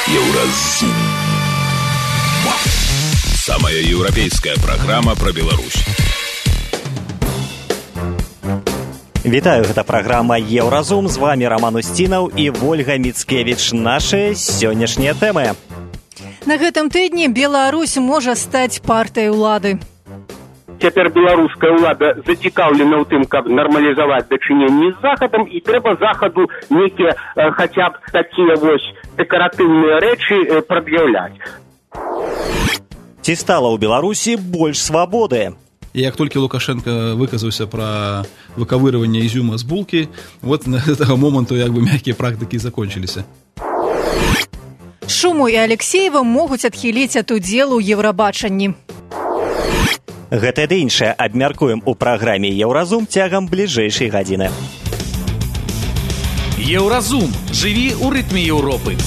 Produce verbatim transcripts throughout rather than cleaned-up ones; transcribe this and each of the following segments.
Еўразум. Самая еўрапейская праграма пра Беларусь. Вітаю, гэта праграма Еўразум. З вами Роман Устінаў і Вольга Міцкевіч. Нашыя сённяшнія тэмы. На гэтым тыдні Беларусь можа стаць партыяй улады. Цяпер беларуская ўлада зацікаўлена ў тым, каб нармалізаваць дачыненні з Захадам, і трэба Захаду нейкія э, хаця б такія вось дэкаратыўныя рэчы э, прад'яўляць. Ці стала ў Беларусі больш свабоды? Як толькі Лукашенко выказаўся пра выковыривание изюма з булкі, вот на гэтага моманту як бы мягкія практыкі закончыліся. Шуму і Алексеева могуць адхіліць ад удзелу ў Еўрабачанні. Гэта ды іншае абмяркуем у праграме Еўразум цягам бліжэйшай гадзіны. Еўразум. Жыві ў рытме Еўропы.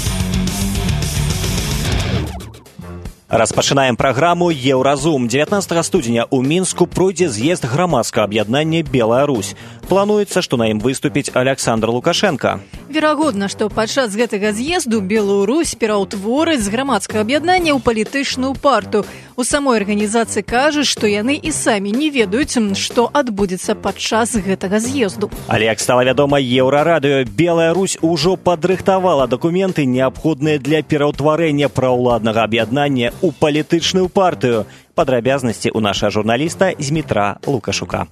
Распачынаем праграму Еўразум. дзевятнаццатага студзеня ў Мінску пройдзе з'езд грамадскага аб'яднання «Белая Русь». Плануецца, што на ім выступіць Александр Лукашенко. Верагодна, што падчас гэтага з'езду Белую Русь пераўтворыць з грамадскага аб'яднання ў палітычную партыю. У самой арганізацыі кажуць, што яны і самі не ведаюць, што адбудзецца падчас гэтага з'езду. Але, як стала вядома Еўрарадыё, Белая Русь ужо падрыхтавала дакументы, неабходныя для пераўтварэння праўладнага аб'яднання у палітычную партыю. Падрабязнасці ў нашага журналіста Змітра Лукашука.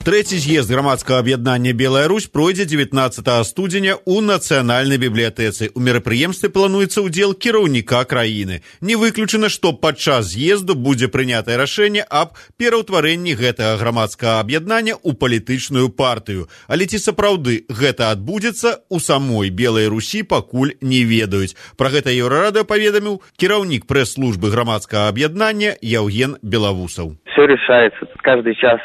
Трэці з'езд грамадскага аб'яднання «Белая Русь» пройдзе дзевятнаццатага студзеня ў Нацыянальнай бібліятэцы. У мерапрыемстве плануецца ўдзел кіраўніка краіны. Не выключана, што падчас з'езду будзе прынятае рашэнне аб пераўтварэнні гэтага грамадскага аб'яднання ў палітычную партыю. Але ці сапраўды гэта адбудзецца, у самой Белай Русі пакуль не ведаюць. Пра гэта Еўрарадыё паведаміў кіраўнік прэс-службы грамадскага аб'яднання Яўген Белавусаў. Все решается каждый час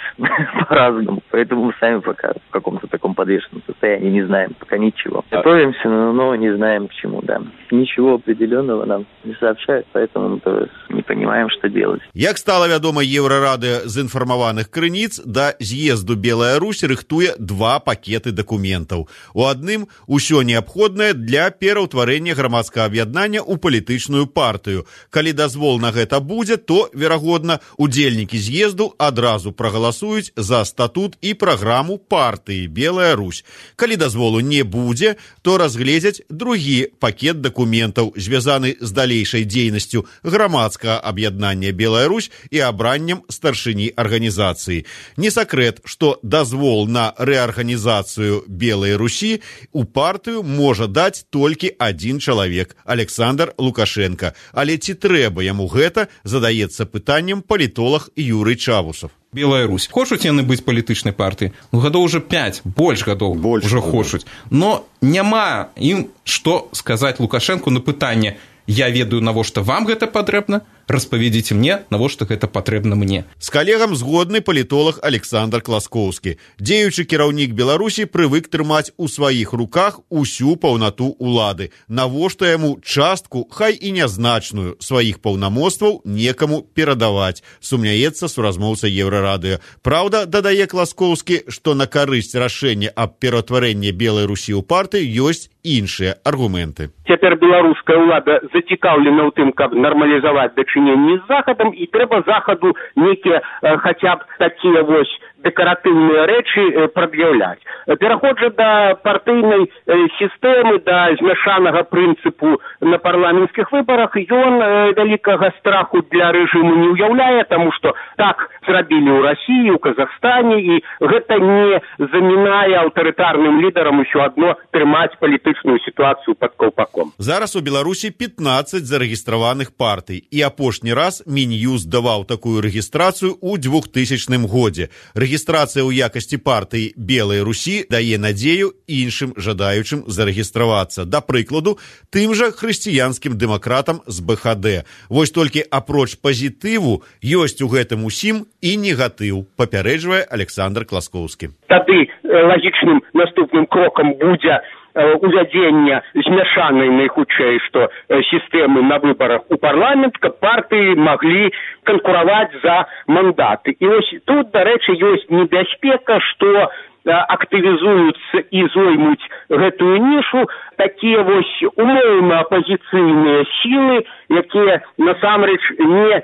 по-разному, поэтому мы сами пока в каком-то таком подвешенном состоянии не знаем пока ничего. Готовимся, но не знаем к чему, да. Ничего определенного нам не сообщают, поэтому мы тоже не понимаем, что делать. Як стала вядома Еўрарадыё з інфармаваных крыніц, да з'езду Белая Русь рыхтуе два пакеты дакументаў. У адным усё неабходнае для пераўтварэння грамадскага аб'яднання ў палітычную партыю. Калі дазвол на гэта будзе, то, верагодна, удзельнікі з'езду адразу прагаласуюць за статут і праграму партыі «Белая Русь». Калі дазволу не будзе, то разгледзяць другі пакет дакументаў, звязаны з далейшай дзейнасцю грамадскага аб'яднання «Белая Русь» і абраннем старшыні арганізацыі. Не сакрэт, што дазвол на рэарганізацыю «Белай Русі» у партыю можа даць толькі адзін чалавек – Александр Лукашенко. Але ці трэба яму гэта, задаецца пытаннем палітолог Юрый Чавусов. Белая Русь. Хочуць яны быць палітычнай партыяй? Ну, гадоў уже пяць, больш гадоў больш уже хочуць. Но няма ім што сказаць Лукашенку на пытанне: я ведаю, навошта вам гэта патрэбна, распавядзіце мне, навошта гэта патрэбна мне. З калегам згодны палітолог Александр Класкоўскі. Дзеючы кіраўнік Беларусі прывык трымаць у сваіх руках усю паўнату улады. Навошта яму частку, хай і нязначную, сваіх паўнамоцтваў некаму перадаваць, сумняецца суразмоўца Еўрарадыё. Праўда, дадае Класкоўскі, што на карысць рашэння аб пераўтварэнні Белай Русі ў партыю ёсць іншыя аргументы. Цяпер беларуская ўлада зацікаўлена ў тым, каб нармалізаваць дачыненні з Захадам, і трэба Захаду нейкія э, хаця б такія вось дэкаратыўныя рэчы э, прад'яўляць. Пераход жа да партыйнай э, сістэмы, да змяшанага прынцыпу на парламенцкіх выбарах, ён э, вялікага страху для рэжыму не ўяўляе, таму што так зрабілі ў Расіі, у Казахстане, і гэта не замінае аўтарытарным лідарам усё адно трымаць палітычную сітуацыю пад каўпаком. Зараз у Беларусі пятнаццаць зарэгістраваных партый, і апошні раз Мін'юст даваў такую рэгістрацыю ў двухтысячным годзе. Рэгістрацыя ў якасці партыі «Белай Русі» дае надзею іншым жадаючым зарэгістравацца. Да прыкладу, тым жа хрысціянскім дэмакратам з бэ ха дэ. Вось толькі апроч пазітыву ёсць у гэтым усім і негатыў, папярэджвае Александр Класкоўскі. Тады лагічным наступным крокам будзе увядзення змяшанай найхутчэй, што сістэмы на выбарах у парламент, каб партыі маглі канкураваць за мандаты. І вось тут, дарэчы, ёсць небяспека, што актывізуюцца і зоймуць гэтую нішу такія вось умоўна апазіцыйныя сілы, якія насамрэч не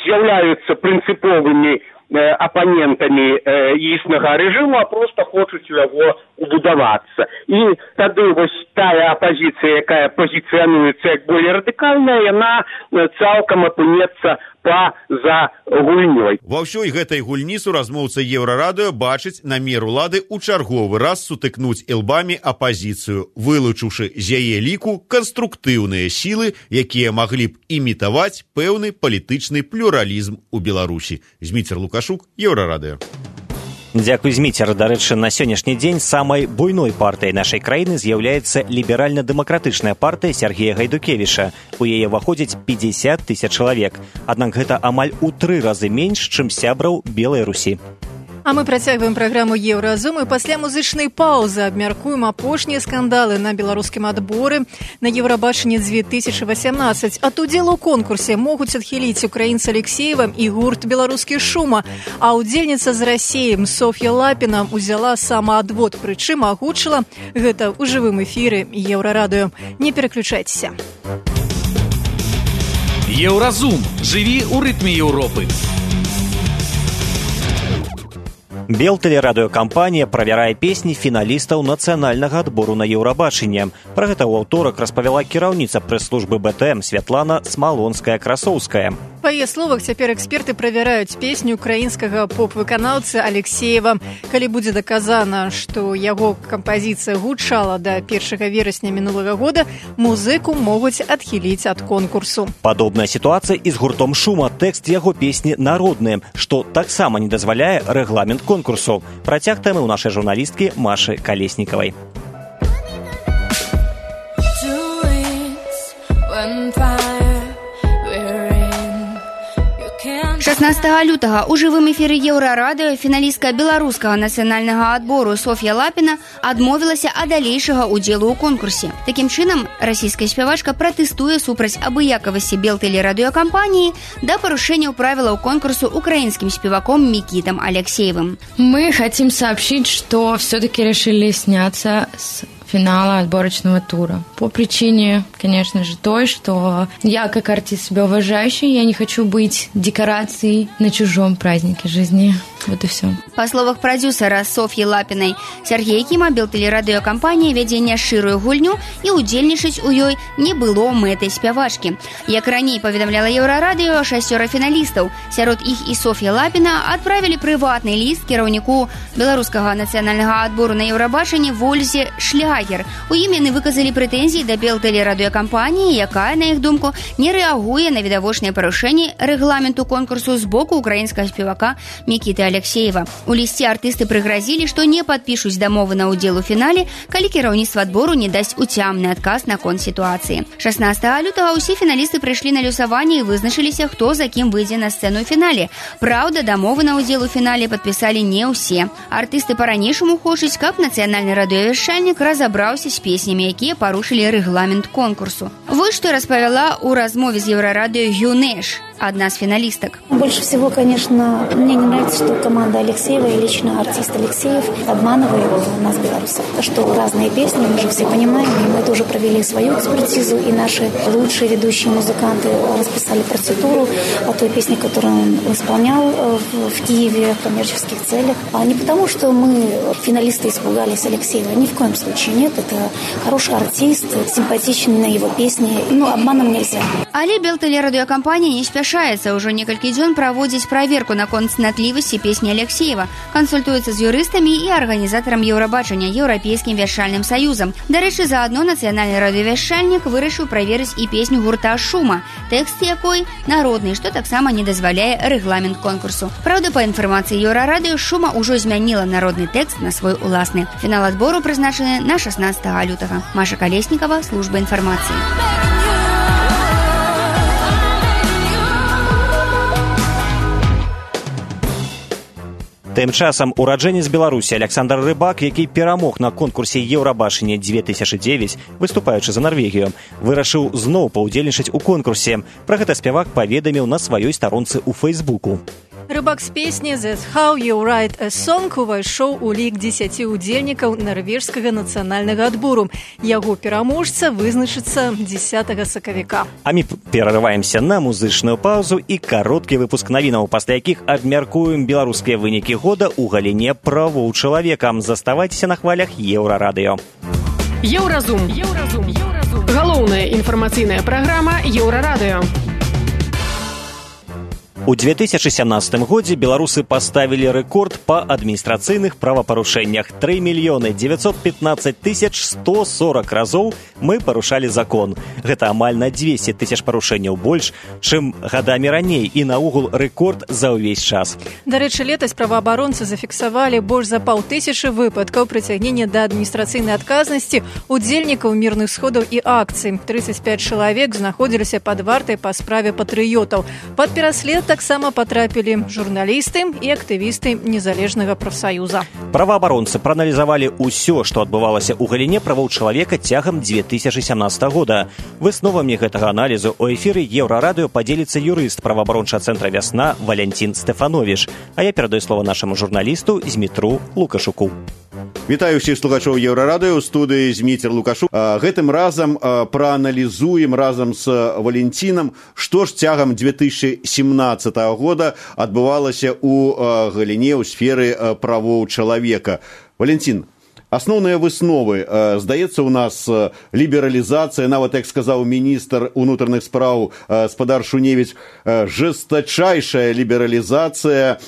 з'яўляюцца прынцыповымі апанентамі існага рэжыму, а проста хочуць у яго убудавацца. І тады вось тая апазіцыя, якая пазіцыянуецца як болей радыкальная, яна цалкам апынецца па-за гульнёй. Ва ўсёй гэтай гульні суразмоўца Еўрарадыё бачыць намер улады ў чарговы раз сутыкнуць ілбамі апазіцыю, вылучыўшы з яе ліку канструктыўныя сілы, якія маглі б імітаваць пэўны палітычны плюралізм у Беларусі. Зміцер Лукашук, Еўрарадыё. Дзякуй, Зміцер. Дарэчы, на сённяшні дзень самай буйной партыяй нашай краіны з'яўляецца ліберальна-дэмакратычная партыя Сергея Гайдукевіча. У яе ўваходзіць пятьдесят тысяч чалавек. Аднак гэта амаль у тры разы менш, чым сябраў Белай Русі. А мы працягваем праграму Еўразум і пасля музычнай паўзы абмяркуем апошнія скандалы на беларускім адборы на Еўрабачанне две тысячи восемнадцать. Ад удзелу ў конкурсе могуць адхіліць украінца Алексеева і гурт «Беларускі шума», а удзельніца з Расіі Соф'я Лапіна узяла самаадвод, прычым агучыла гэта ў жывым эфіры Еўрарадыё. Не пераключайцеся. Еўразум. Жыві ў рытме Еўропы. Белтэлерадыёкампанія правярае песні фіналістаў нацыянальнага адбору на Еўрабачанне. Пра гэта ў аўторак распавяла кіраўніца прэс-службы бэ тэ эм Святлана Смалонская-Красоўская. Па яе словах, цяпер эксперты правяраюць песню украінскага поп-выканаўцы Алексеева. Калі будзе даказана, што яго кампазіцыя гучала да першага верасня мінулага года, музыку могуць адхіліць ад конкурсу. Падобная сітуацыя і з гуртом «Шума». Тэкст яго песні народны, што таксама не дазваляе рэгламент конкурсу. Працяг тэмы ў нашай журналісткі Машы Калеснікавай. шаснаццатага лютага ў жывым эфіры Еўрарадыё фіналістка беларускага нацыянальнага адбору Соф'я Лапіна адмовілася ад далейшага ўдзелу ў конкурсе. Такім чынам, расійская спявачка пратэстуе супраць абыякавасці Белтэлерадыёкампаніі да парушэнняў правілаў конкурсу украинским спеваком Микитом Алексеевым. Мы хотим сообщить, что все-таки решили сняться с финала отборочного тура. По причине, конечно же, той, что я, как артист себя уважающий, я не хочу быть декорацией на чужом празднике жизни. Вот и все. Па словах прадюсера Соф'і Лапінай, Сергей Кіма Белтэлерадыёкампанія вядзе няшчырую гульню і удзельнічаць у ёй не было мэтай спявачкі. Як раней паведамляла Еўрарадыё, шасцёра фіналістаў, сярод іх і Соф'я Лапіна, адправілі прыватны ліст кіраўніку беларускага нацыянальнага адбору на Еўрабачанне Вользе Шлягер. У ім яны выказалі прэтэнзіі да Белтэлерадыёкампаніі, якая, на іх думку, не рэагуе на відавочныя парушэнні рэгламенту конкурсу з боку украінскага спевака Мікіты Алексеева. У лісце артысты прыгразілі, што не падпішуць дамовы на ўдзел у фінале, калі кіраўніцтва адбору не дасць уцямны адказ наконт сітуацыі. шаснаццатага лютага ўсе фіналісты прыйшлі на люсаванне і вызначыліся, хто за кім выйдзе на сцэну ў фінале. Праўда, дамовы на ўдзел у фінале падпісалі не ўсе. Артысты па-ранейшаму хочуць, каб нацыянальны радыёвяшчальнік разабраўся з песнямі, якія парушылі рэгламент конкурсу. Вось што распавяла ў размове з Еўрарадыё Юнеш, одна из финалисток. Больше всего, конечно, мне не нравится, что команда Алексеева и лично артист Алексеев обманывает нас, белорусов. Что разные песни, мы же все понимаем, и мы тоже провели свою экспертизу, и наши лучшие ведущие музыканты расписали процедуру о той песне, которую он исполнял в Киеве в коммерческих целях. А не потому, что мы, финалисты, испугались Алексеева. Ни в коем случае нет. Это хороший артист, симпатичный на его песни. Ну, обманом нельзя. Але Белтэлерадыёкампанія не спяшаецца. Уже некалькі дзён праводзіць праверку наконт цнатлівасці песні Алексеева, кансультуецца з юрыстамі і арганізатарам Еўрабачання Еўрапейскім вяшчальным саюзам. Дарэчы, заадно нацыянальны радыёвяшчальнік вырашыў праверыць і песню гурта «Шума», тэкст якой народны, што таксама не дазваляе рэгламент конкурсу. Праўда, па інфармацыі Еўрарадыё, «Шума» ўжо змяніла народны тэкст на свой уласны. Фінал адбору прызначаны на шаснаццатага лютага. Маша Калеснікава, служба інфармацыі. Тым часам ураджэнец Беларусі Александр Рыбак, які перамог на конкурсе Еўрабачання две тысячи девять, выступаючы за Нарвегію, вырашыў зноў паўдзельнічаць у конкурсе. Пра гэта спявак паведаміў на сваёй старонцы ў Фэйсбуку. Рыбак з песні «That's how you write a song» увайшоў у лік дзесяці удзельнікаў нарвежскага нацыянальнага адбору. Яго пераможца вызначыцца дзесятага сакавіка. А мы перарываемся на музычную паузу і кароткі выпуск навінаў, пасля якіх абмяркуем беларускія вынікі года ў галіне правоў чалавека. Заставайцеся на хвалях Еўрарадыё. Еўразум. Еўразум. Еўразум. Галоўная інфармацыйная праграма Еўрарадыё. У две тысячи семнадцатым годзе беларусы паставілі рэкорд па адміністрацыйных правапарушэннях. тры мільёны дзевяцьсот пятнадцать тысяч сто сорок разоў мы парушалі закон. Гэта амаль на двести тысяч парушэнняў больш, чым гадамі раней, і наогул рэкорд за ўвесь час. Дарэчы, летась праваабаронцы зафіксавалі больш за паўтысячы выпадкаў прыцягнення да адміністрацыйнай адказнасці удзельнікаў мірных сходаў і акцый. тридцать пять чалавек знаходзіліся пад вартай па справе патрыётаў. Пад пераслед таксама патрапілі журналісты і актывісты незалежнага прафсаюза. Праваабаронцы прааналізавалі ўсё, што адбывалася ў галіне правоў чалавека цягам две тысячи семнадцатага года. Высновамі гэтага аналізу ў эфіры Еўрарадыё падзеліцца юрыст праваабарончага цэнтра «Вясна» Валянцін Стэфановіч. А я перадаю слова нашаму журналісту Змітру Лукашуку. Вітаю ўсіх слухачоў Еўрарадыё, ў студыі Зміцер Лукашук. Гэтым разам прааналізуем разам з Валянцінам, што ж цягам две тысячи семнадцатага года адбывалася ў галіне, ў сферы правоў чалавека. Валянцін, асноўныя высновы. Здаецца, у нас лібералізацыя, нават, як сказаў міністр унутраных спраў спадар Шуневіч, жэстачайшая лібералізацыя,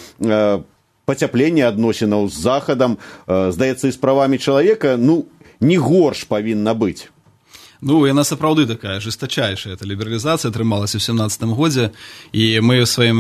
пацяпленне адносінаў з захадам, здаецца, і з правамі чалавека, ну, не горш павінна быць. Ну, яна сапраўды такая жестачайшая. Эта лібералізацыя атрымалася ў семнадцатым годзе, і мы ў сваім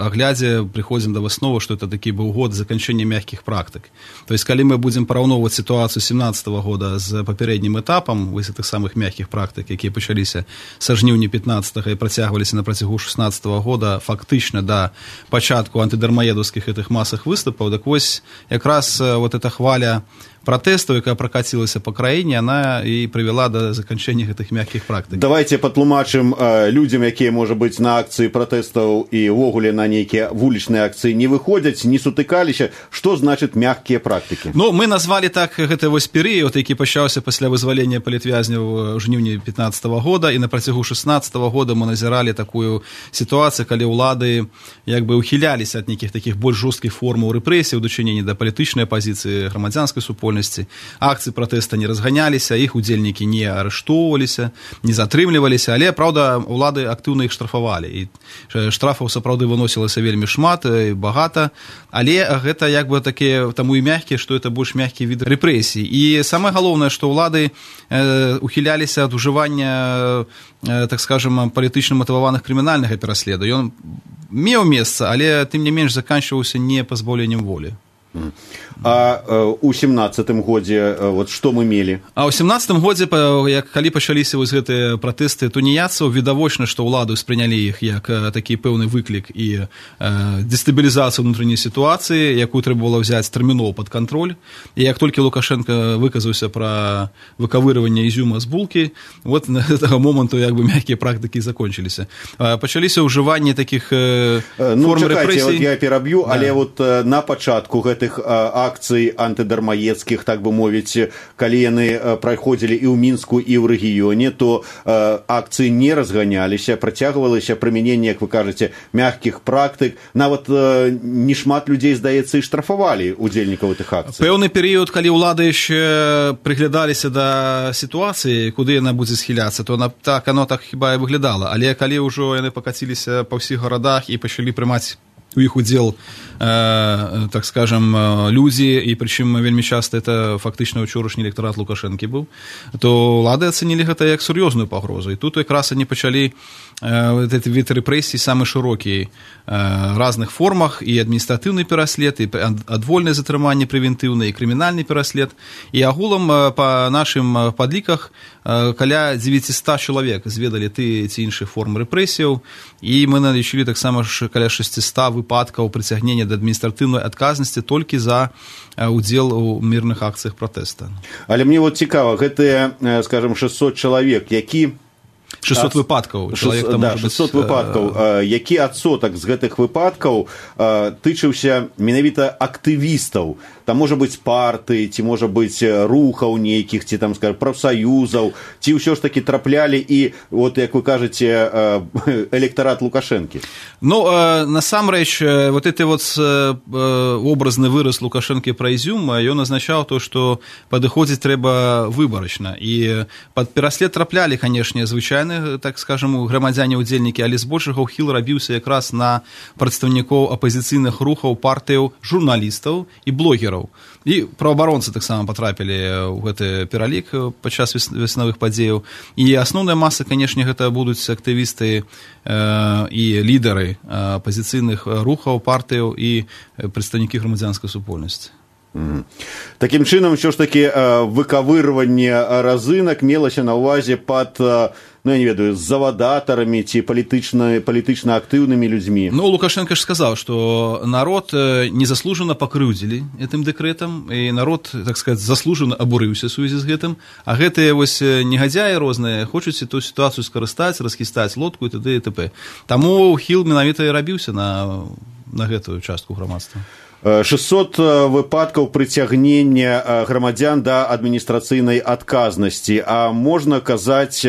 аглядзе прыходзім да высновы, што это такі быў год заканчэння мягкіх практык. То есть, калі мы будзем параўноўваць сітуацыю семнадцатага года з папярэднім этапам вось гэтых самых мягкіх практык, якія пачаліся са жніўня пятнадцатага і працягваліся на працягу шэснаццатага года фактычна да пачатку антыдармаедаўскіх гэтых масах выступаў, так вось якраз вот эта хваля пратэстаў, якая пракацілася па краіне, она і прывяла да заканчэння гэтых мягкіх практык. Давайте патлумачым э, людзям, якія, можа быць, на акцыі пратэстаў і ўвогуле на нейкія вулічныя акцыі не выходзяць, не сутыкаліся. Што значыць мягкія практыкі? Ну, мы назвалі так гэты вось перыяд, які пачаўся пасля вызвалення палітвязняў ў жніўні пятнадцатага года, і на працягу шэснаццатага года мы назіралі такую сітуацыю, калі ўлады як бы ухіляліся ад нейкіх такіх больш жорсткіх формаў рэпрэсій у дачыненні да палітычнай апазіцыі, грамадзянскай супольнасці. Акцыі пратэста не разганяліся, іх удзельнікі не арыштоўваліся, не затрымліваліся, але, праўда, улады актыўна іх штрафавалі. І штрафаў сапраўды выносілася вельмі шмат і багата, але гэта як бы такія, таму і мягкія, што это больш мягкі від рэпрэсій. І самае галоўнае, што ўлады э, ухіляліся ад ужывання, э, так скажем, палітычна матываваных крымінальнага пераследу. Ён меў месца, але тым не менш заканчваўся не пазбаўленнем волі. А ў семнадцатым годзе вот што мы мелі? А ў семнадцатым годзе, як калі пачаліся вось гэтыя пратэсты туніяцаў, відавочна, што ўлады спрынялі іх як такі пэўны выклік і э, дэстабілізацыю ўнутранай сітуацыі, якую трэба было ўзяць тэрмінова пад кантроль. І як толькі Лукашенко выказаўся пра выкавырыванне ізюма з булкі, вот на гэтага моманту як бы мяккія практыкі закончыліся. Пачаліся ўжыванне такіх э, ну, форм чакайце, рэпрэсій. Вот я пераб'ю, да. Але вот э, на пачатку гэтых э, акцый антыдармаедскіх, так бы мовіць, калі яны праходзілі і ў Мінску, і ў рэгіёне, то э, акцыі не разганяліся, працягвалася прымяненне, як вы кажаце, мягкіх практык. Нават э, не шмат людзей, здаецца, і штрафавалі удзельнікаў гэтых акцый. Пэўны перыяд, калі ўлады яшчэ прыглядаліся да сітуацыі, куды яна будзе схіляцца, то на, так, оно так хіба і выглядала. Але калі ўжо яны пакаціліся па ўсіх гарадах і пачалі прымаць у іх удзел, э, так скажем, людзі, і прычым вельмі часта это фактычна ўчорашні электарат Лукашэнкі быў, то ўлады ацэнілі гэта як сур'ёзную пагрозу. І тут якраз они пачалі э, гэты від рэпрэсій самы шырокі, э, разных формах, і адміністратыўны пераслед, і адвольнае затрыманне прэвентыўнае, і крымінальны пераслед. І агулам э, па нашым падліках э, каля дзевяцьсот чалавек зведалі ты ці іншых форм рэпрэсіяў, і мы налічылі таксама каля шэсцісот выпадкаў прыцягнення да адміністратыўнай адказнасці толькі за удзел у мірных акцыях пратэста. Але мне вот цікава, гэтыя, скажем, шэсцьсот чалавек, які шестьсот выпадкаў. шестьсот, да, шестьсот быць... выпадкаў. Які адсотак з гэтых выпадкаў тычыўся менавіта актывістаў? Там можа быць парты, ці можа быць рухаў нейкіх, ці там, скажем, прафсаюзаў, ці ўсё ж таки траплялі і, вот, як вы кажаце, электарат Лукашэнкі? Ну, насамрэч, вот это вот образны выраз Лукашэнкі пра Ізюм, ён азначаў то, што падыходзіць трэба выбарачна. І пад пераслед траплялі, канешне, звычайны, так скажем, грамадзяне-удзельнікі, але збольшага ўхіл рабіўся якраз на прадстаўнікоў апазіцыйных рухаў, партыяў, журналістаў і блогераў. І праваабаронцы таксама патрапілі ў гэты пералік падчас веснавых падзеяў. І асноўная маса, канешне, гэта будуць актывісты э, і лідары апазіцыйных рухаў, партыяў і прадстаўнікі грамадзянскай супольнасці. Mm. Такім чынам, ўсё ж такі выкавырванне разынак мелася на ўвазе пад, ну, я не ведаю, з завадатарамі ці палітычна, палітычна актыўнымі людзьмі. Ну, Лукашенко ж сказаў, што народ незаслужана пакрыўдзілі гэтым дэкрэтам, і народ, так сказаць, заслужана абурыўся ў сувязі з гэтым, а гэтыя вось негадзяі розныя хочуць эту сітуацыю скарыстаць, расхістаць лодку і т.д. і т.п. Таму хіл менавіта і рабіўся на, на гэтую частку грамадства. шестьсот выпадкаў прыцягнення грамадзян да адміністрацыйнай адказнасці. А можна казаць,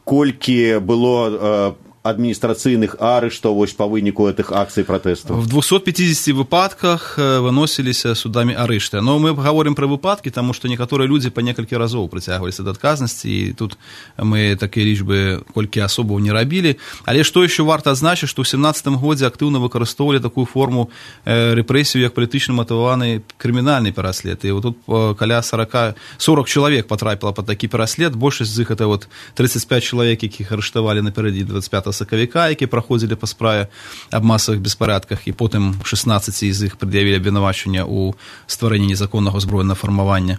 колькі было адміністрацыйных арыштаў вось па выніку гэтых акцый пратэстаў? В двухсот пятидесяти выпадках выносіліся судамі арышты. Но мы гаворым пра выпадкі, таму што некаторыя людзі па некалькі разоў прыцягваліся да адказнасці, і тут мы такія лічбы колькі асобаў не рабілі. Але што яшчэ варта адзначыць, што ў семнадцатым годзе актыўна выкарыстоўвалі такую форму рэпрэсію, як палітычна матываваны крымінальны пераслед. І тут каля сорок чалавек патрапіла пад такі пераслед, большасць з іх это вот тридцать пять чалавек, якіх арыштавалі напярэдадні двадцать пятага сакавіка, які праходзілі па справе аб масавых беспарадках, і потым шестнадцать з іх прад'явілі абвінавачванне ў стварэнні незаконнага ўзброенага фармавання.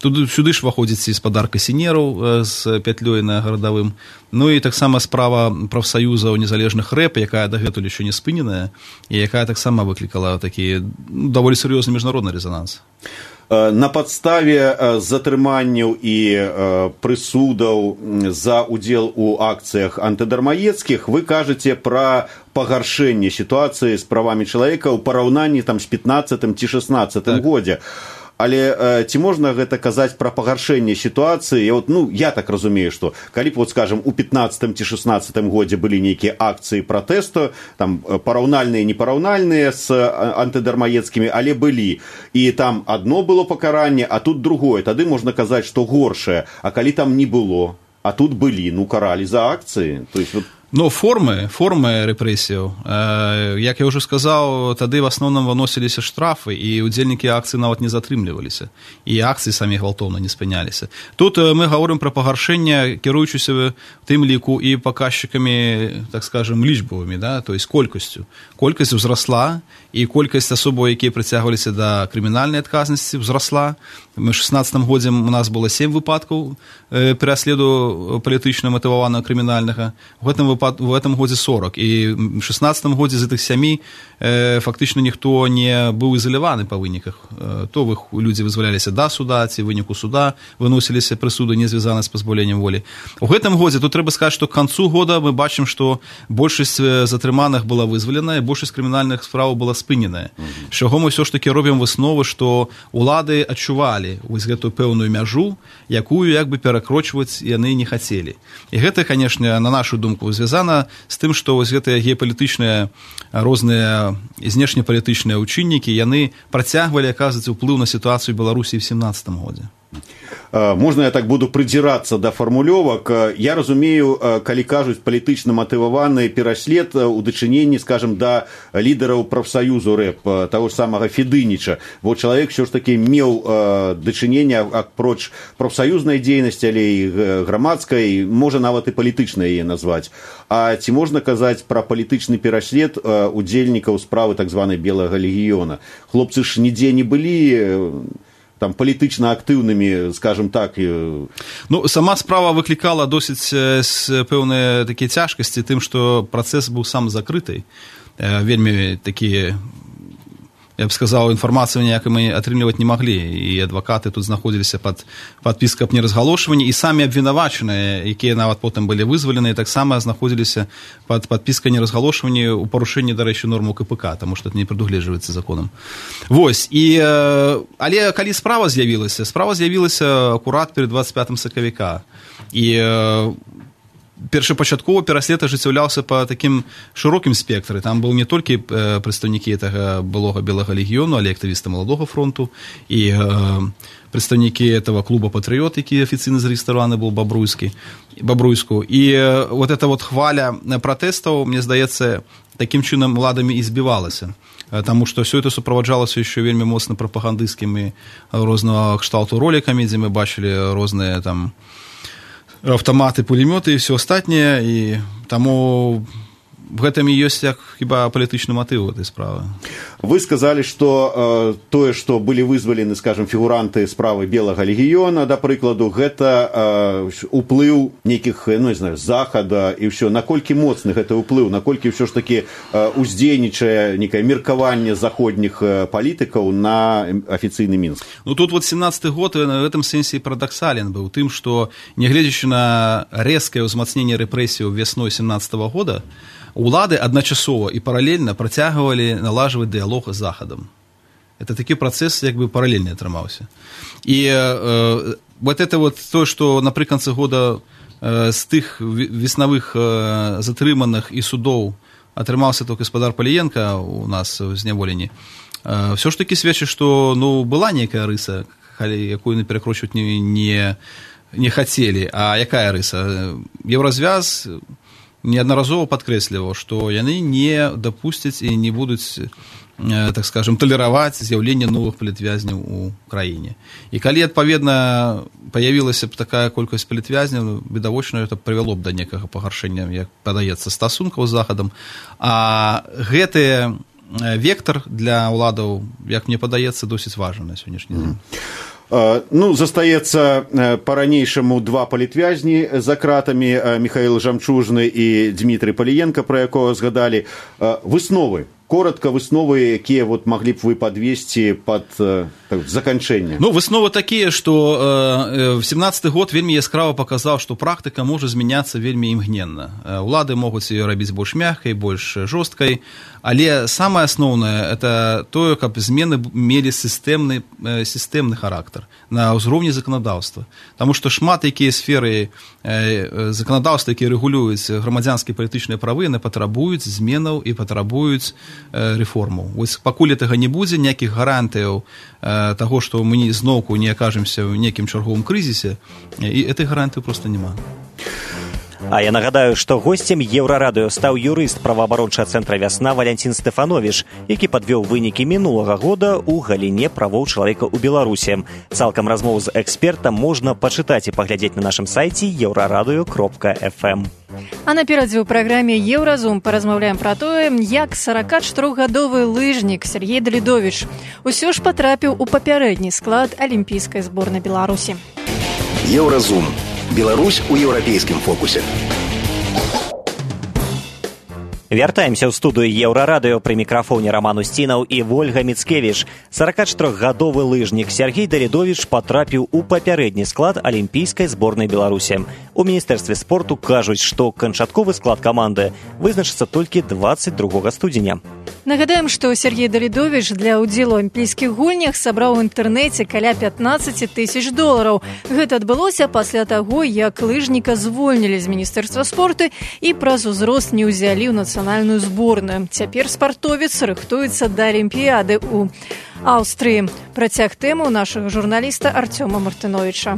Тут сюды ж выходзіць і спадарка сінераў з пятлёй на гарадавым. Ну і таксама справа прафсаюзаў незалежных рэп, якая дагэтуль яшчэ не спыненая, і якая таксама выклікала такі даволі сур'ёзны міжнародны рэзананс. На падставе затрыманняў і прысудаў за ўдзел у акцыях антыдармаедскіх вы кажаце пра пагаршэнне сітуацыі з правамі чалавека ў параўнанні там з пятнаццатым ці шестнаццатым так. годзе. Але э, ці можна гэта казаць пра пагаршэнне сітуацыі? Я, вот, ну, я так разумею, што калі б, вот, скажем, у пятнаццатым ці шестнаццатым годзе былі нейкія акцыі пратэсту, там параўнальныя, непараўнальныя з антыдармаедскімі, але былі. І там адно было пакаранне, а тут другое. Тады можна казаць, што горшае. А калі там не было, а тут былі, ну, каралі за акцыі. То есть, вот... Но формы, формы рэпрэсіяў, э, як я ўжо сказаў, тады в асноўным выносіліся штрафы, і удзельнікі акцый нават не затрымліваліся, і акцыі самі гвалтоўна не спыняліся. Тут э, мы гаворым пра пагаршэнне, кіруючыся тым ліку і паказчыкамі, так скажем, лічбавымі, да, то есть колькасцю. Колькасць узрасла, і колькасць асобаў, якія прыцягваліся да крымінальнай адказнасці, узрасла. Мы в шестнадцатым годзе у нас было семь выпадкаў э, пераследу палітычна матываванага крымінальнага. В гэтым выпад... в этом годзе сорок. І в шестнадцатым годзе з гэтых сямі э, фактычна ніхто не быў ізаляваны па выніках. Э, то вы, людзі вызваляліся да суда, ці выніку суда выносіліся прысуды, не звязаны з пазбаўленнем волі. У гэтым годзе тут трэба сказаць, што к канцу года мы бачым, што большасць затрыманых была вызвалена, і большасць крымінальных справаў была спыненая. Mm-hmm. З чаго мы ўсё ж такі робім высновы, што улады адчувалі вось гэтую пэўную мяжу, якую як бы перакрочваць яны не хацелі. І гэта, канешне, на нашу думку звязана з тым, што вось гэтыя геапалітычныя розныя знешнепалітычныя ўчыннікі, яны працягвалі аказваць уплыў на сітуацыю Беларусі ў семнадцатым годзе. Можна я так буду прыдзірацца да фармулёвак. Я разумею, калі кажуць палітычна матываваны пераслед у дачыненні, скажем, да лідараў прафсаюзу рэп, таго ж самага Федыніча. Бо чалавек ўсё ж такі меў дачыненне апроч прафсаюзнай дзейнасці, але і грамадскай, можа нават і палітычнай яе назваць. А ці можна казаць пра палітычны пераслед удзельнікаў справы так званай Белага легіёна? Хлопцы ж нідзе не былі там палітычна актыўнымі, скажем так. Ну, сама справа выклікала досыць пэўныя такія цяжкасці тым, што працэс быў сам закрыты. Вельмі такія я б сказаў, інфармацыю ніякай мы атрымліваць не маглі, і адвакаты тут знаходзіліся пад падпіскай аб неразгалошванні, і самі абвінавачаныя, якія нават потым былі вызваленыя, таксама знаходзіліся пад падпіскай неразгалошванні ў парушэнні, дарэчы, норму ка пэ ка, таму што это не прадугледжваецца законам. Вось, і, але калі справа з'явілася, справа з'явілася акурат перад двадцать пятым сакавіка, і першапачаткова пераслед ажыццяўляўся па такім шырокім спектры. Там быў не толькі прадстаўнікі гэтага былога белага легіёну, але актывісты маладога фронту і э, прадстаўнікі этого клуба «Патрыёт», які афіцыйна зарэгістраваны быў Бабруйскі, Бабруйску. І э, вот эта вот хваля пратэстаў, мне здаецца, такім чынам уладамі і збівалася. Таму што ўсё это суправаджалася яшчэ вельмі моцна прапагандысцкімі рознага кшталту ролікамі, дзе мы бачылі розныя там автоматы, пулемёты и все остальное, и тому в этом и есть як хіба палітычны матыў этой справы. Вы сказали, что э, тое, что были вызвалены, скажем, фігуранты справы белага легіёна, да прыкладу, гэта э, уплыў нейкіх, ну, не знаю, захада і ўсё. Наколькі моцны гэта ўплыў, наколькі ўсё ж таки э, уздзейнічае некае меркаванне заходніх э, палітыкаў на афіцыйны Мінск? Ну, тут вот семнадцаты год в этом сэнсе парадаксален быў тым, што, нягледзячы на рэзкае ўзмацненне рэпрэсіяў вясной семнадцатого года, улады адначасова і паралельна працягвалі налажваць дыялог з захадам. Это такі працэс як бы паралельны атрымаўся. І э, вот это вот то, што напрыканцы года э, з тых веснавых э, затрыманых і судоў атрымаўся толькі гаспадар Паліенка у нас у зняволенні, э, ўсё ж такі сведчыць, што ну, была нейкая рыса, якую перакручваць не, не, не хацелі. А якая рыса? Еўразвяз неаднаразова падкрэсліваў, што яны не дапусцяць і не будуць, так скажем, талераваць з'яўленне новых палітвязняў у краіне. І калі, адпаведна, паявілася б такая колькасць палітвязняў, відавочна, это прывяло б да некага пагаршэння, як падаецца, стасункаў з захадам. А гэты вектар для ўладаў, як мне падаецца, досыць важны на сённяшні дзень. Ну, застаецца па-ранейшаму два палітвязні за кратамі, Міхаіл Жамчужны і Дмітрый Паліенка, пра якога згадалі. Высновы, коротко высновы, якія вот маглі б вы падвесці пад так, заканчэнне? Ну, высновы такія, што э, семнадцаты год вельмі яскрава паказаў, што практыка можа змяняцца вельмі імгненна. Улады могуць ее рабіць больш мяккай, больш жорсткай, але самае асноўнае это тое, каб змены мелі сістэмны, сістэмны характар на ўзроўні заканадаўства. Таму што шмат якія сферы э, заканадаўства, якія рэгулююць грамадзянскія палітычныя правы, яны патрабуюць зменаў і патрабуюць э, рэформаў. Вось пакуль гэтага не будзе, ніякіх гарантыяў э, таго, што мы зноўку не акажемся ў нейкім чарговым крызісе, і этой гарантыі проста няма. А я нагадаю, што госцем Еўрарадыё стаў юрыст праваабарончага цэнтра «Вясна» Валянцін Стэфановіч, які падвёў вынікі мінулага года ў галіне правоў чалавека ў Беларусі. Цалкам размову з экспертам можна пачытаць і паглядзець на нашым сайце еўрарадыё кропка эф эм. А наперадзе ў праграме «Еўразум» паразмаўляем пра тое, як сорокачатырохгадовы лыжнік Сергей Далідовіч усё ж патрапіў у папярэдні склад алімпійскай зборнай Беларусі. Еўразум. Беларусь у еўрапейскім фокусе. Вяртаемся ў студыю Еўрарадыё, пры мікрафоне Роман Усцінаў і Вольга Міцкевіч. сорокачатырохгадовы лыжнік Сергей Далідовіч патрапіў у папярэдні склад алімпійскай зборнай Беларусі. У міністэрстве спорту кажуць, што канчатковы склад каманды вызначыцца толькі двадцать другога студзеня. Нагадаем, што Сергей Далідовіч для ўдзелу ў алімпійскіх гульнях сабраў у інтэрнэце каля пятнаццаць тысяч долараў. Гэта адбылося пасля таго, як лыжніка звольнілі з міністэрства спорту і праз узрост не ўзялі ў нацыянальную зборную. Цяпер спартовец рыхтуецца да алімпіяды ў Аўстрыі. Працяг тэму нашага журналіста Артёма Мартыновіча.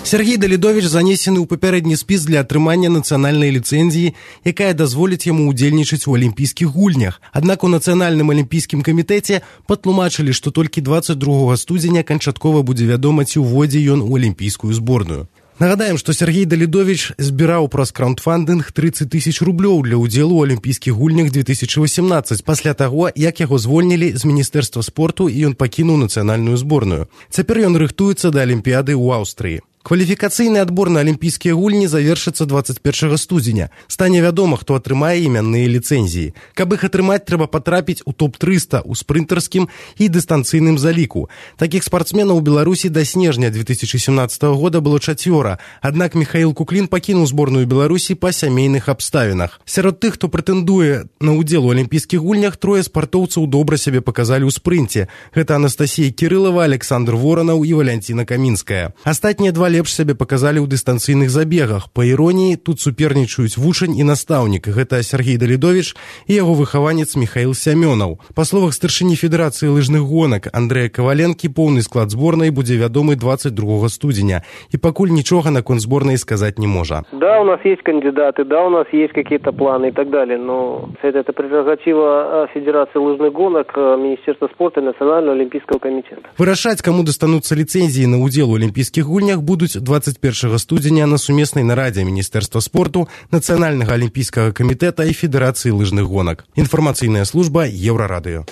Сергей Далідовіч занесены ў папярэдні спіс для атрымання нацыянальнай ліцэнзіі, якая дазволіць яму ўдзельнічаць у алімпійскіх гульнях. Аднак у нацыянальным алімпійскім камітэце патлумачылі, што толькі двадцать другога студзеня канчаткова будзе вядома, ці ўводзе ён у алімпійскую зборную. Нагадаем, што Сергей Далідовіч збіраў праз краундфандынг тридцать тысяч рублёў для ўдзелу ў алімпійскіх гульнях две тысячи восемнадцать, пасля таго, як яго звольнілі з міністэрства спорту і ён пакінуў нацыянальную зборную. Цяпер ён рыхтуецца да алімпіяды ў Аўстрыі. Кваліфікацыйны адбор на алімпійскія гульні завершыцца двадцать першага студзеня. Стане вядома, хто атрымае імянныя ліцэнзіі. Каб іх атрымаць, трэба патрапіць у топ трыста ў спрынтарскім і дыстанцыйным заліку. Такіх спартсменаў у Беларусі да снежня две тысячи семнадцатого года было чацвёра, аднак Михаил Куклин пакінуў зборную Беларусі па сямейных абставінах. Сярод тых, хто прэтэндуе на ўдзел у алімпійскіх гульнях, трое спартоўцаў добра сябе паказалі ў спрынце. Гэта Анастасія Кірылава, Александр Воранаў і Валянціна Камінская. Астатнія два лепш сябе паказалі ў дыстанцыйных забегах. Па іроніі, тут супернічаюць вучань і настаўнік. Гэта Сергей Далідович і яго выхаванец Михаил Сямёнаў. Па словах старшыні Федэрацыі лыжных гонак Андрэя Каваленкі, поўны склад зборнай будзе вядомы двадцать другого студзеня. І пакуль нічога наконт зборнай сказаць не можа. Да, у нас есть кандидаты, да, у нас есть какие-то планы и так далее, но это, это прерогатива Федерации лыжных гонок, Министерства спорта и Национального олимпийского комитета. Вырашаць, каму дастануцца ліцэнзіі на ўдзел у алімпійскіх гульнях, будуць двадцать першага студзеня на сумеснай нарадзе Міністэрства спорту, Нацыянальнага алімпійскага камітэта і Федэрацыі лыжных гонак. Інфармацыйная служба Еўрарадыё.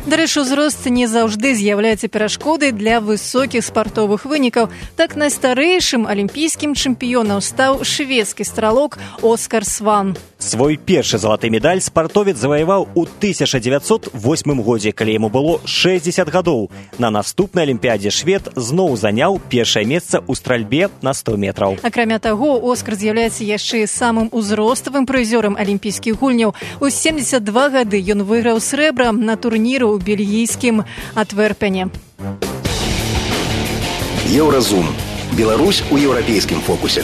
Дарэчы, узрост не заўжды з'яўляецца перашкодай для высокіх спартовых вынікаў. Так найстарэйшым алімпійскім чэмпіёнам стаў шведскі стралок Оскар Сван. Свой першы залаты медаль спартовец заваяваў у тысяча дзевяцьсот восьмым годзе, калі яму было шэсцьдзесят гадоў. На наступнай алімпіядзе швед зноў заняў першае месца ў стральбе на сто метраў. Акрамя таго, Оскар з'яўляецца яшчэ самым узроставым прызёрам алімпійскіх гульняў. У семьдесят два гады ён выйграў срэбра на турніру у бельгійскім Антверпене. Еўразум. Беларусь у еўрапейскім фокусе.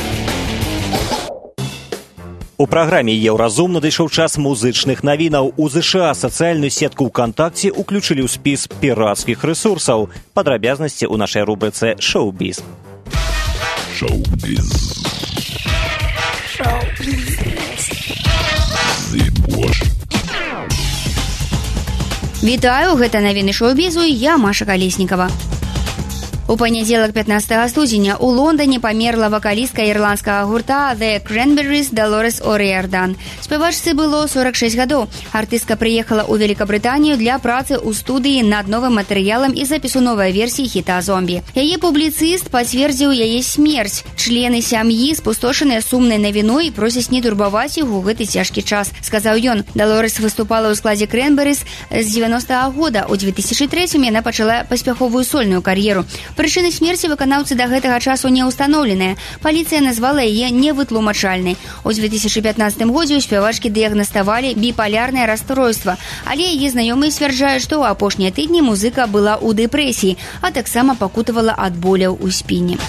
У праграме «Еўразум» надышоў час музычных навінаў. У ЗША сацыяльную сетку ВКонтакте уключылі ў спіс пірацкіх рэсурсаў. Падрабязнасці ў нашай рубрыцы «Шоу-біз». Шоу-біз. Шоу-біз. Вітаю, гэта навіны шоу-бізу, я Маша Калеснікава. У панядзелак пятнадцатага студзеня у Лондоне памерла вакалістка ірландскага гурта The Cranberries Долорес О'Риардан. Спявачцы было сорок шэсць гадоў. Артыстка прыехала ў Великабрытанію для працы ў студыі над новым матэрыялам і запісу новай версіі хіта «Зомбі». Яе публіцыст пацвердзіў яе смерць. Члены сям'і спустошаныя сумнай навіной просяць не турбаваць іх у гэты цяжкі час, сказаў ён. Долорес выступала ў складзе Cranberries з дзевяностага года. У две тысячи трэцім яна пачала паспяховую сольную кар'еру. Прычыны смерці выканаўцы да гэтага часу не ўстаноўленыя. Паліцыя назвала яе невытлумачальнай. У две тысячи пятнадцатым годзе ў спявачкі дыягнаставалі біпалярнае расстройства, але яе знаёмыя сцвярджаюць, што ў апошнія тыдні музыка была ў дэпрэсіі, а таксама пакутавала ад боляў у спіне.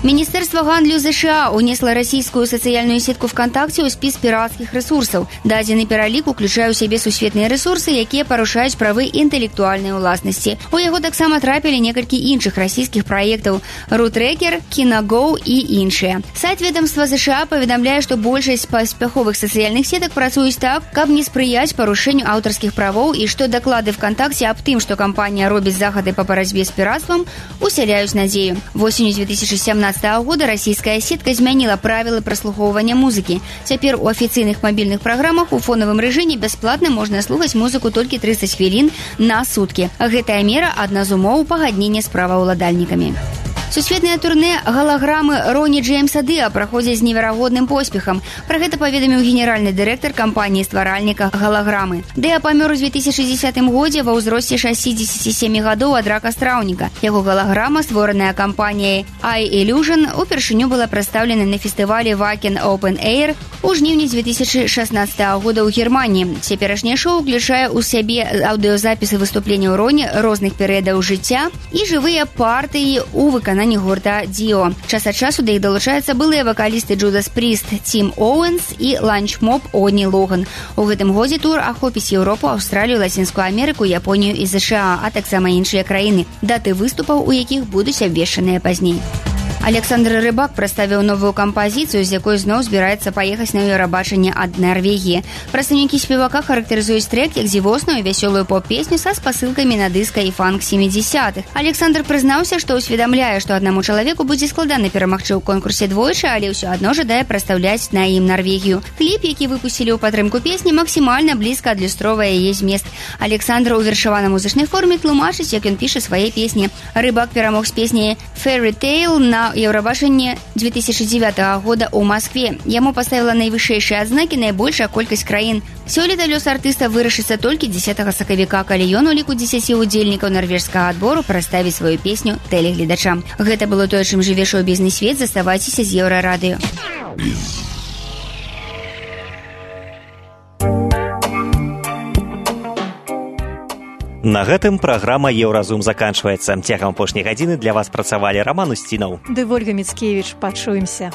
Міністэрства гандлю ЗША унесла расійскую сацыяльную сетку ВКонтакте ў спіс пірацкіх рэсурсаў. Дадзены пералік уключае ў сябе сусветныя рэсурсы, якія парушаюць правы інтэлектуальнай уласнасці. У яго таксама трапілі некалькі іншых расійскіх праектаў «Рутрекер», «Киногоу» і іншыя. Сайт ведомства ЗША паведамляе, што большасць паспяховых сацыяльных сетак працуюць так, каб не спрыяць парушэнню аўтарскіх правоў і што даклады ВКонтакте аб тым, што кампанія робіць захады па барацьбе з піратствам, усяляюць надзею. Восенню две тысячи семнадцатого года расійская сетка змяніла правілы праслухоўвання музыкі. Цяпер у афіцыйных мабільных праграмах у фонавым рэжыме бясплатна можна слухаць музыку толькі тридцать хвілін на суткі. Гэтая мера адна з умоў пагаднення з праваўладальнікамі. Сусветнае турне галаграмы Роні Джеймса Дыа праходзіць з неверагодным поспехам. Пра гэта паведаміў генеральны дырэктар кампаніі-стваральніка галаграмы. Дыа памёр у две тысячи десятым годзе ва ўзросце шэсцідзесяці сямі гадоў ад рака страўніка. Яго галаграма, створаная кампаніяй iIllusion, упершыню была прадстаўлена на фестывалі Wacken Open Air у жніўні две тысячи шаснаццатага года ў Германіі. Цяперашняе шоу ўключае ў сябе аўдыёзапісы выступленняў Роні розных перыядаў жыцця і жывыя партыі ў выкананні гурта Дио. Час ад часу да іх далучаюцца былыя вакалісты Judas Priest Тим Оуэнс і ланчмоб Одні Логан. У гэтым годзе тур ахопіць Еўропу, Аўстралію, Лацінскую Амерыку, Японію і ЗША, а таксама іншыя краіны, даты выступаў у якіх будуць абвешчаныя пазней. Александр Рыбак прадставіў новую кампазіцыю, з якой зноў збіраецца паехаць на Еўрабачанне ад Нарвегіі. Прадстаўнікі спевака характарызуюць трек як дзівосную вясёлую поп-песню са спасылкамі на дыска і фанк семидесятых. Александр прызнаўся, што ўсведамляе, што аднаму чалавеку будзе складана перамагчы ў конкурсе двойчы, але ўсё адно жадае прадстаўляць на ім Нарвегію. Кліп, які выпусцілі ў падтрымку песні, максімальна блізка адлюстроўвае яе змест. Александр у вершаванай музычнай форме тлумачыць, як ён піша свае песні. Рыбак перамог з песняй «Fairy Tale» на на Евробашенне две тысячи девятого года ў Москве. Яму паставіла найвышэйшыя адзнакі найбольшая колькасць краін. Сёлета лёс артыста вырашыцца толькі дзесятага сакавіка, калі ён у ліку дзесяці удзельнікаў нарвежскага адбору прадставіць сваю песню тэлегледачам. Гэта было тое, чым жыве шоу-бізнес-свет. Заставайцеся з Еўрарадыё. На гэтым праграма «Еўразум» заканчваецца. Цягам апошняй гадзіны для вас працавалі Роман Устінаў ды Вольга Міцкевіч. Пачуемся.